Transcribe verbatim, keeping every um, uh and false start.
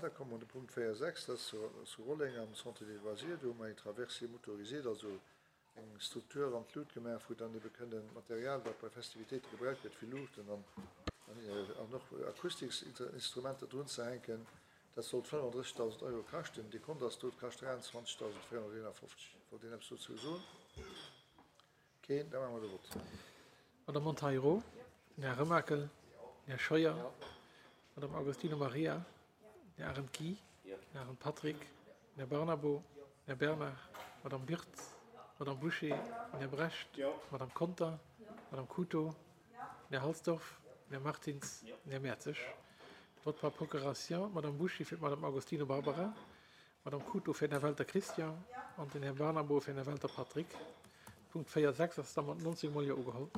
Da komme mer un de Punkt véier sechs, dat ass zu Rolleng am Centre des loisirs. Do hu mer eng Traversée motorisée, also eng Struktur an d'Lut gemaach, wou dann ebe kënnen Material, wat bei Festivitéite gebraucht gëtt, wéi Luuchten an an och Akustiksinstrumenter drunzehänken. Dat sollt fënnefandrëssigtausend Euro kaschten. Dekont ass do, et kascht dräianzwanzigtausendvéierhonnerteenafofzeg. Wollt een eppes dozou soen? Keen? Da maache mer de Vott. Madame Monteiro, den Här Remakel, den Här Scheuer, d'Madame Agostino Maria, den Här Arendt Guy, den Här Arendt Patrick, den Här Barnabo, den Här Bernard, d'Madame Wirtz, d'Madame Bouché, den Här Brecht, d'Madame Conter, d'Madame Couto, den Här Halsdorf, den Här Martins, den Här Mertzig. Vote par procuration, d'Madame Bouché fir d'Madame Agostino Barbara, d'Madame Couto fir den Här Welter Christian an den Här Barnabo fir den Här Welter Patrick. Punkt véier sechs ass da mat nonzéng Mol Jo ugeholl.